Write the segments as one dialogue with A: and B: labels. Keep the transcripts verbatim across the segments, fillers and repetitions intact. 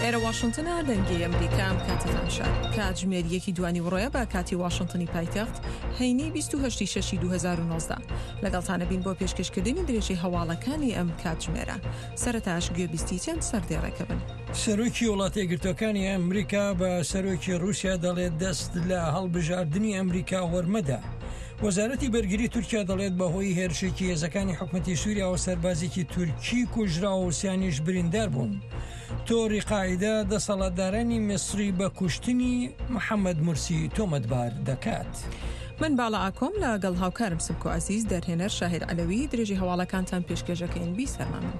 A: ئێرە واشنتنە، دەنگی ئەمریکا. ئەم کاتەتان شاد. کاتژمێر یەکی دوانی وڕۆیە بە کاتی واشنتنی پایتەخت، هەینی بیست و هەشت ی شەش ی دوو هەزار و نۆزدە. لەگەڵتانە بین بۆ پێشکەشکردنی درێژەی هەواڵەکانی ئەم کاتژمێرە. سەرەتاش گوێبیستی چەند سەردێڕێکە بن.
B: سەرۆکی وڵاتە یەکگرتووەکانی ئەمریکا بە سەرۆکی ڕووسیا دەڵێت دەست لە هەڵبژاردنی ئەمریکا وەرمەدە. وەزارەتی بەرگری تورکیا دەڵێت بەهۆی هێرشێکی هێزەکانی حکومەتی سووریاوە سەربازێکی تورکی کوژرا و سیانیش بریندار بوون. تۆڕی قاعیدە دەسەڵاتدارانی میسری بە کوشتنی محەممەد مورسی تۆمەتبار دەکات.
A: من باڵا ئاکۆم لەگەڵ هاوکارم سمکۆ عەزیز، دەرهێنەر شاهیر عەلەوی، درێژی هەواڵەکانتان پێشکێشەکەین. بیسەرمان من.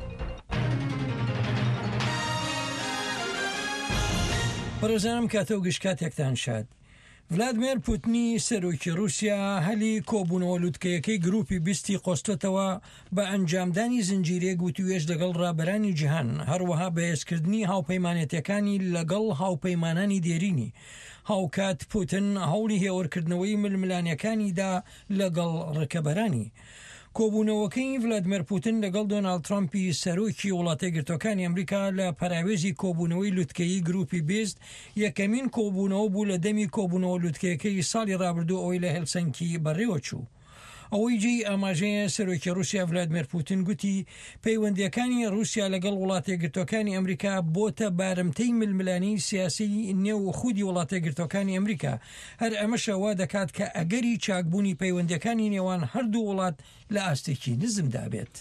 B: بەڕێزانم کاتە و گشت کاتێکتان شاد. ڤلادیمێر پوتنی سەرۆکی رووسیا هەلی کۆبوونەوە لوتکەیەکەی گروپی بیستی قۆستۆتەوە بە ئەنجامدانی زنجیرەیەک وتوێژ لەگەڵ ڕابەرانی جیهان، هەروەها بەهێزکردنی هاوپەیمانێتیەکانی لەگەڵ هاوپەیمانانی دێرینی. هاوکات پوتن هەوڵی هێورکردنەوەی ململانیەکانیدا لەگەڵ ڕکەبەرانی. کۆبوونەوەکەی ڤلادیمێر پوتن لەگەڵ دۆناڵد ترامپی سەرۆکی وڵاتە یەکگرتووەکانی ئەمریکا لە پەراوێزی کۆبوونەوەی لوتکەیی گروپی بیست یەکەمین کۆبوونەوە بوو لە دەمی کۆبوونەوە لوتکەیەکەی ساڵی ڕابردوو ئەوەی لە هێلسنکی بەڕێوە چوو. ئەوەی جێی ئاماژەیە سەرۆکی رووسیا ڤلادیمێر پوتن گوتی پەیوەندیەکانی رووسیا لەگەڵ وڵاتە یەکگرتووەکانی ئەمریکا بۆتە بارمتەی ململانێی سیاسی نێو خودی وڵاتە یەکگرتووەکانی ئەمریکا. هەر ئەمەشە وا دەکات کە ئەگەری چاکبوونی پەیوەندیەکانی نێوان هەردوو وڵات لە ئاستێکی نزمدا بێت.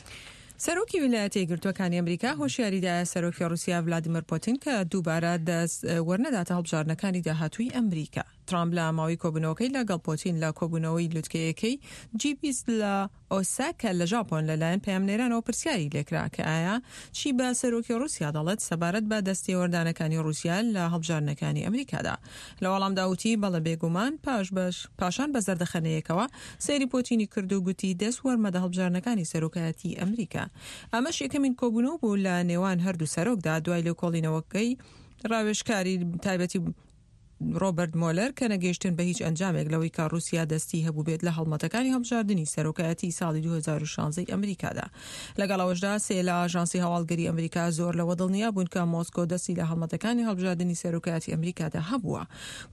A: سەرۆکی ویلایەتە یەکگرتووەکانی ئەمریکا هۆشیاریدایە سەرۆکی رووسیا ڤلادیمیر پوتین کە دووبارە دەست وەرنەداتە هەڵبژاردنەکانی داهاتووی ئەمریکا. ترامپ لە ماوەی کۆبوونەوەکەی لەگەڵ پوتین لە کۆبوونەوەی لوتکەیەکەی جی بیست لە ئۆساکا لە ژاپۆن لەلایەن پەیامنێرانەوە پرسیاری لێکرا کە ئایا چی بە سەرۆکی رووسیا دەڵێت سەبارەت بە دەستێوەردانەکانی رووسیا لە هەڵبژاردنەکانی ئەمریکادا. لە وەڵامدا وتی بەڵێ بێگومان، پاش بەش پاشان بە زەردەخەنەیەکەوە سەیری پوتینی کرد و گوتی دەست وەرمەدە هەڵبژاردنەکانی سەرۆکایەتی ئەمریکا. ئەمەش یەکەمین کۆبوونەوە بوو لە نێوان هەردوو سەرۆکدا دوای لێکۆڵینەوەکەی ڕاوێژکاری تایبەتی ڕۆبەرت مۆلەر کە نەگەیشتن بە هیچ ئەنجامێک لەوەی کە رووسیا دەستی هەبوو بێت لە هەڵمەتەکانی هەڵبژاردنی سەرۆکایەتی ساڵی دوو هەزار و شانزە ئەمریکادا. لەگەڵ ئەوەشدا سێ لە ئاژانسی هەواڵگەری ئەمریکا زۆر لەوە دڵنیا بوون کە مۆسکۆ دەستی لە هەڵمەتەکانی هەڵبژاردنی سەرۆکایەتی ئەمریکادا هەبووە.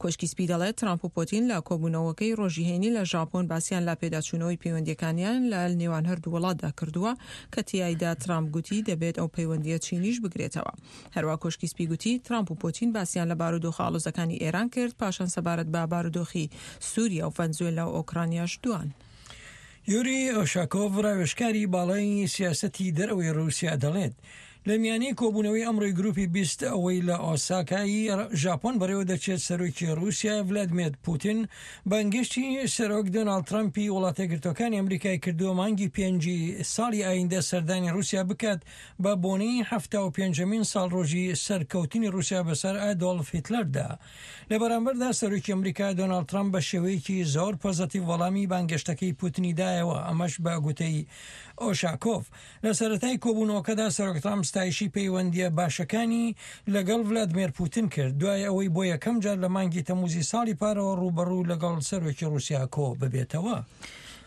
A: کۆشکی سپی دەڵێت ترامپ و پوتین لە کۆبوونەوەکەی ڕۆژی هەینی لە ژاپۆن باسییان لە پێداچوونەوەی پەیوەندیەکانیان لە نێوان هەردوو وڵاتدا کردووە کە تیایدا ترامپ گوتی دەبێت ئەو پەیوەندیە چینیش بگرێتەوە. هەروە کۆشکی سپی گوتی ترامپ و پوتین باسییان لە بارودۆخە ئاڵۆزەکانی ئێران کرد، پاشان سەبارەت بە بارودۆخی سووریا و ڤەنزوێلا و ئۆکرانیاش دوان.
B: یوری ئۆشاکۆڤ ڕاوێژکاری باڵای سیاسەتی دەرەوەی رووسیا دەڵێت لە میانەی کۆبوونەوەی ئەمڕۆی گروپی بیست ئەوەی لە ئۆساکای ژاپۆن بەڕێوە دەچێت، سەرۆکی رووسیا ڤلادیمێر پوتین بانگهێشتی سەرۆک دۆناڵد ترامپی وڵاتە یەکگرتووەکانی ئەمریکای کردووە مانگی پێنجی ساڵی ئایندە سەردانی رووسیا بکات بە بۆنەی حەفتا و پێنجەمین ساڵ ڕۆژی سەرکەوتنی رووسیا بەسەر ئادۆڵف هیتلەردا. لە بەرامبەردا سەرۆکی ئەمریکا دۆناڵد ترامپ بە شێوەیەکی زۆر پۆزەتیڤ وەڵامی بانگهێشتەکەی پوتنی دایەوە، ئەمەش بە گوتەی ئۆشاکۆڤ. لە سەرەتای کۆبوونەوەکەدا سەرۆک ترامپ ستایشی پەیوەندیە باشەکانی لەگەڵ ڤلادیمێر پوتین کرد دوای ئەوەی بۆ یەکەم جار لە مانگی تەموزی ساڵی پارەوە ڕووبەڕوو لەگەڵ سەرۆکی رووسیا کۆ ببێتەوە.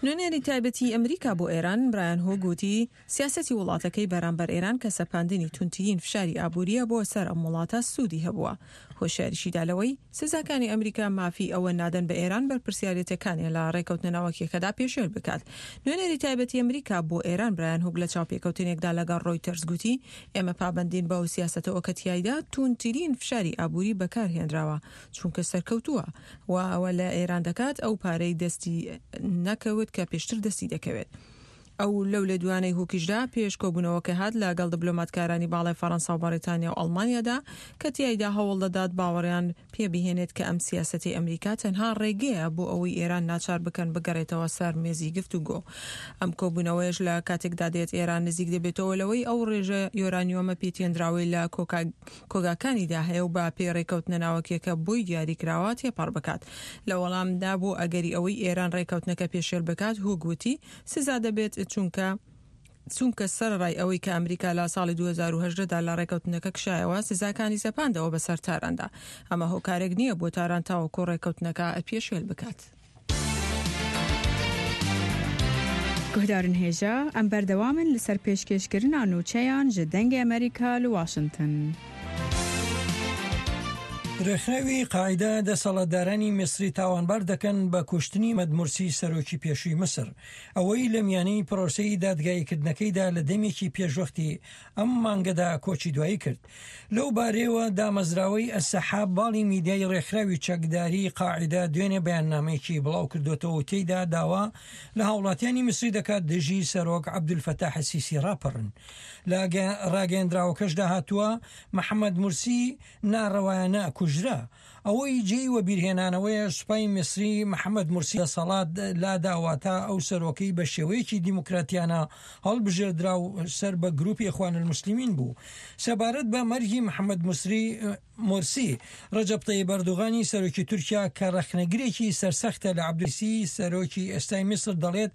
A: نوێنەری تایبەتی ئەمریکا بۆ ئێران برایان هۆگ وتی سیاسەتی وڵاتەکەی بەرامبەر ئێران کە سەپاندنی توندترین فشاری ئابووریە بۆ سەر ئەم وڵاتە سوودی هەبووە. هۆشیاریشیدا لەوەی سزاکانی ئەمریکا مافی ئەوە نادەن بە ئێران بەرپرسیارێتەکانیان لە ڕێکەوتنە ناوەکیەکەدا پێشێل بکات. نوێنەری تایبەتی ئەمریکا بۆ ئێران برایان هۆگ لە چاوپێکەوتنێکدا لەگەڵ ڕۆیتەرز گوتی ئێمە پابەندین بەو سیاسەتەوە کە تیایدا توندترین فشاری ئابووری بەکارهێنراوە چونکە سەرکەوتووە و ئەوە لە ئێران دەکات ئەو پارەی دەستی نەکەوت کە پێشتر دەستی دەکەوێت. ئەو لەو لێدوانەی هوکیشدا پێش کۆبوونەوەکە هات لەگەڵ دیبلۆماتکارانی باڵای فەرەنسا و بەریتانیا و ئەڵمانیادا کە تیایدا هەوڵ دەدات باوەڕیان پێبهێنێت کە ئەم سیاسەتی ئەمریکا تەنها ڕێگەیە بۆ ئەوەی ئێران ناچار بکەن بگەڕێتەوە سەر مێزی گفتوگۆ. ئەم کۆبوونەوەیش لە کاتێکدا دێت ئێران نزیک دەبێتەوە لەوەی ئەو ڕێژە یۆرانیۆمە پێتێنراوەی لە کۆگاکانیدا هەیە و بە پێی ڕێکەوتنە ناوەکیەکە بۆی دیاریکراوە تێپەڕ بکات. لە وەڵامدا بۆ ئەگەری ئەوەی ئێران ڕێکەوتنەکە پێشێل بکات، هوگ وتی سزا دەبێت چونکە چونکە سەرەڕای ئەوەی کە ئەمریکا لە ساڵی دوو هەزار و هەژدە دا لە ڕێکەوتنەکە کشایەوە سزاکانی سەپاندەوە بەسەر تاراندا. ئەمە هۆکارێک نییە بۆ تاران تاوەکو ڕێکەوتنەکە پێشێل بکات.
C: گوهدارن هێژا ئەم بەردەوامن لەسەر پێشکێشکردنا نوچەیان ji دەنگی ئەمریکا لە واشنگتن.
B: ڕێکخراوی قاعیدە دەسەڵاتدارانی میسری تاوانبار دەکەن بە کوشتنی محەمەد مورسی سەرۆکی پێشووی میسر، ئەوەی لە میانەی پرۆسەی دادگاییکردنەکەیدا لە دەمێکی پێشوەختی ئەم مانگەدا کۆچی دوایی کرد. لەو بارەیەوە دامەزراوەی ئەسەحاب باڵی میدیای ڕێکخراوی چەکداری قاعیدە دوێنێ بەیاننامەیەکی بڵاو کردوێتەوە و تێیدا داوا لە هاوڵاتیانی میسری دەکات دژی سەرۆک عەبدولفەتاح سیسی ڕاپەڕن. لە ڕاگەیەندراوەکەشدا هاتووە محەممەد مورسی ناڕەوایانە کوژرا. ئەوەی جێی وەبیرهێنانەوەیە سوپای میسری محەممەد مورسی دەسەڵات لاداوە تا ئەو سەرۆکەی بە شێوەیەکی دیموکراتیانە هەڵبژێردرا و سەر بە گروپی ئیخوان الموسلمین بوو. سەبارەت بە مەرگی محەممەد مورسی، ڕەجەب تەیب ئەردۆغانی سەرۆکی تورکیا کە ڕەخنەگرێکی سەرسەختە لە عەبدولسی سەرۆکی ئێستای میسر دەڵێت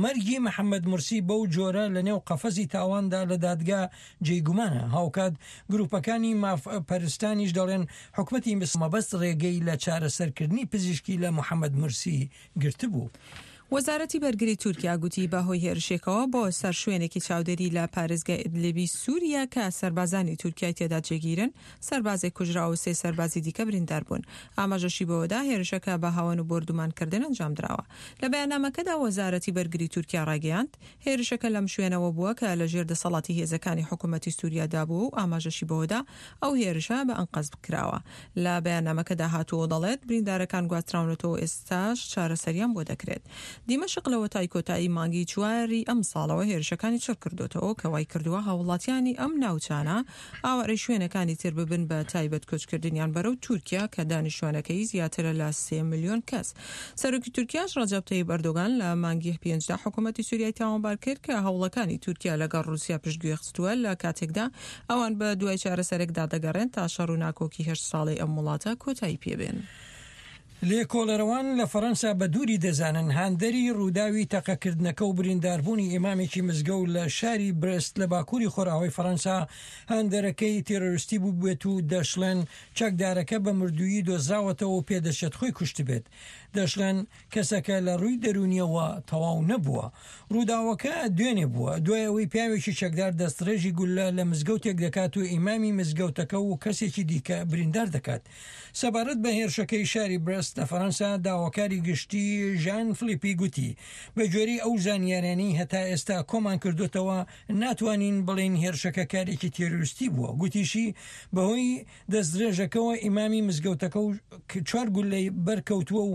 B: مەرگی محەممەد مورسی بەو جۆرە لەنێو قەفەزی تاواندا لە دادگا جێی گومانە. هاوکات گروپەکانی مافپەرستانیش دەڵێن حکومەتی میسر مەبەست ڕێگەی لە چارەسەرکردنی پزیشکی لە محەممەد مورسی گرتبوو.
A: وەزارەتی بەرگری تورکیا گوتی بەهۆی هێرشێکەوە بۆ سەر شوێنێکی چاودێری لە پارێزگای ئیدلیبی سووریا کە سەربازانی تورکیای تێدا جێگیرن، سەربازێک کوژرا و سێ سەربازی دیکە بریندار بوون. ئاماژەشی بەوەدا هێرشەکە بە هاوەن و بۆردومانکردن ئەنجامدراوە. لە بەیاننامەکەدا وەزارەتی بەرگری تورکیا ڕایگەیاند هێرشەکە لەم شوێنەوە بووە کە لەژێر دەسەڵاتی هێزەکانی حکوومەتی سووریادا بووە و ئاماژەشی بەوەدا ئەو هێرشە بە ئەنقەست کراوە. لە بەیاننامەکەدا هاتووە دەڵێت بریندارەکان گواستراونەتەوە ئێستاش چارەسەریان بۆ دەکرێت. دیمەشق لەوەتای کۆتایی مانگی چواری ئەم ساڵەوە هێرشەکانی چڕ کردوێتەوە کە وای کردووە هاوڵاتیانی ئەم ناوچانە ئاوارەی شوێنەکانی تر ببن بە تایبەت کۆچکردنیان بەرەو تورکیا کە دانیشتوانەکەی زیاترە لە سێ ملیۆن کەس. سەرۆکی تورکیاش ڕەجەب تەیب ئەردۆغان لە مانگی پێنجدا حکوومەتی سووریای تاوانبار کرد کە هەوڵەکانی تورکیا لەگەڵ ڕووسیا پشتگوێ خستووە لە کاتێکدا ئەوان بە دوای چارەسەرێکدا دەگەڕێن تا شەڕ و ناکۆکی هەشت ساڵەی ئەم وڵاتە کۆتایی پێبێن.
B: لێکۆڵەرەوان لە فەرەنسا بە دووری دەزانن هاندەری ڕووداوی تەقەکردنەکە و برینداربوونی ئیمامێکی مزگەوت لە شاری برست لە باکووری خۆراوای فەرەنسا هاندەرەکەی تێرۆریستی بووبێت و دەشڵێن چەکدارەکە بە مردوویی دۆزراوەتەوە و پێدەچێت خۆی کوشتبێت. دەشڵێن کەسەکە لە ڕووی دەرونیەوە تەواو نەبووە. ڕووداوەکە دوێنێ بووە دوای ئەوەی پیاوێکی چەکدار دەستڕێژی گولە لە مزگەوتێک دەکات و ئیمامی مزگەوتەکە و کەسێکی دیکە بریندار دەکات. سەبارەت بە هێرشەکەی شاری برست لە فەرەنسا داواکاری گشتی ژان فلیپی گوتی بە گوێرەی ئەو زانیاریانەی هەتا ئێستا کۆمان کردوتەوە ناتوانین بڵێین هێرشەکە کارێکی تێرۆریستی بووە. گوتیشی بەهۆی دەستدرێژەکەوە ئیمامی مزگەوتەکە و چوار گولەی بەرکەوتووە و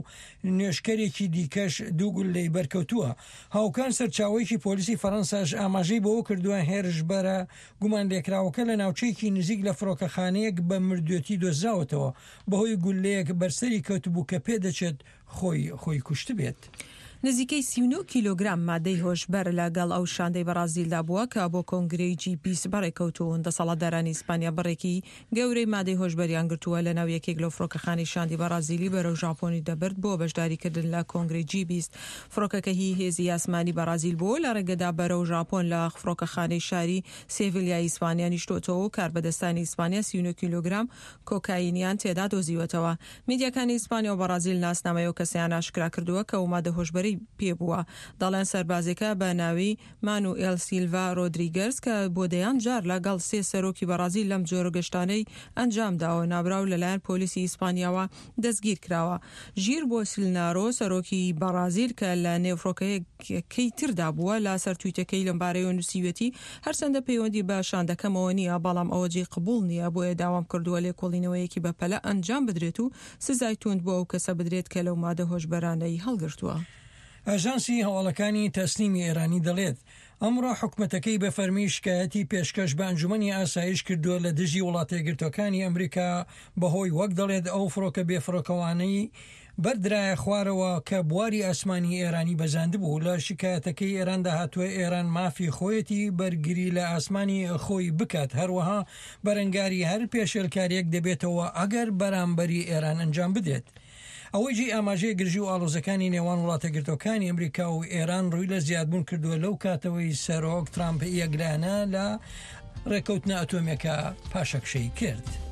B: نوێژکەرێکی دیکەش دوو گولەی بەرکەوتووە. هاوکار سەرچاوەیەکی پۆلیسی فەرەنساش ئاماژەی بەوە کردووە هێرشبەرە گومان لێکراوەکە لە ناوچەیەکی نزیک لە فڕۆکەخانەیەک بە مردوێتی دۆزراوەتەوە بەهۆی گولەیەک بەرسەری کەوتبوو کە پێدەچێت خۆی خۆی کوشتبێت.
A: نزیکەی سی و نۆ کیلۆگرام مادەی هۆشبەر لەگەڵ ئەو شاندەی بەرازیلدا بووە کە بۆ کۆنگرەی جی بیست بەڕێکەوتوون. دەسەڵاتدارانی ئیسپانیا بڕێکی گەورەی مادەی هۆشبەریان گرتووە لەناو یەکێک لەو فڕۆکەخانەی شاندی بەرازیلی بەرەو ژاپۆنی دەبرد بۆ بەشداریکردن لە کۆنگرەی جی بیست. فڕۆکەکە هی هێزی ئاسمانی بەرازیل بووە لە ڕێگەدا بەرەو ژاپۆن لە فڕۆکەخانەی شاری سێڤیلیای ئیسپانیا نیشتۆتەوە و کاربەدەستانی ئیسپانیا سی و نۆ کیلۆگرام کۆکاینیان تێدا دۆزیوەتەوە. میدیاکانی ئیسپانیا و بەرازیل ناسنامەی ئەو کەسیان ئاشکرا کردووە کە ئەو مادە هۆشبەرەی پێ بووە. دەڵێن سەربازێکە بە ناوی مانوئێل سیلڤا رۆدریگەرز کە بۆ دەیان جار لەگەڵ سێ سەرۆکی بەرازیل لەم جۆرە گەشتانەی ئەنجام داوە. نابراو لەلایەن پۆلیسی ئیسپانیاوە دەستگیر کراوە. ژیر بۆسلنارۆ سەرۆکی بەرازیل کە لە نێو فڕۆکەیەکەی تردا بووە لە سەر تویتەکەی لەمبارەیەوە نووسیوێتی هەرچەندە پەیوەندی بە شاندەکەمەوە نییە، بەڵام ئەوە جێی قبوڵ نییە، بۆیە داوام کردووە لێکۆڵینەوەیەکی بەپەلە ئەنجام بدرێت و سزای توند بۆ ئەو کەسە بدرێت کە لەو مادە هۆشبەرانەی هەڵگرتووە.
B: ئاژانسی هەواڵەکانی تەسنیمی ئێرانی دەڵێت ئەمڕۆ حکومەتەکەی بە فەرمی شکایەتی پێشکەش بە ئەنجومەنی ئاسایش کردووە لە دژی وڵاتەیەکگرتووەکانی ئەمریکا بەهۆی وەک دەڵێت ئەو فڕۆکە بێفڕۆکەوانەی بەردرایە خوارەوە کە بواری ئاسمانی ئێرانی بەزاندبوو. لە شکایەتەکەی ئێراندا هاتووە ئێران مافی خۆیەتی بەرگری لە ئاسمانی خۆی بکات، هەروەها بەرەنگاری هەر پێشێلکاریەک دەبێتەوە ئەگەر بەرامبەری ئێران ئەنجام بدرێت. ئەوەی جێی ئاماژەیە گرژی و ئاڵۆزەکانی نێوان وڵاتەیەکگرتووەکانی ئەمریکا و ئێران ڕووی لە زیادبوون کردووە لەو کاتەوەی سەرۆک ترامپ یەکلایەنە لە ڕێکەوتنە ئەتۆمیەکە پاشەکشەی کرد.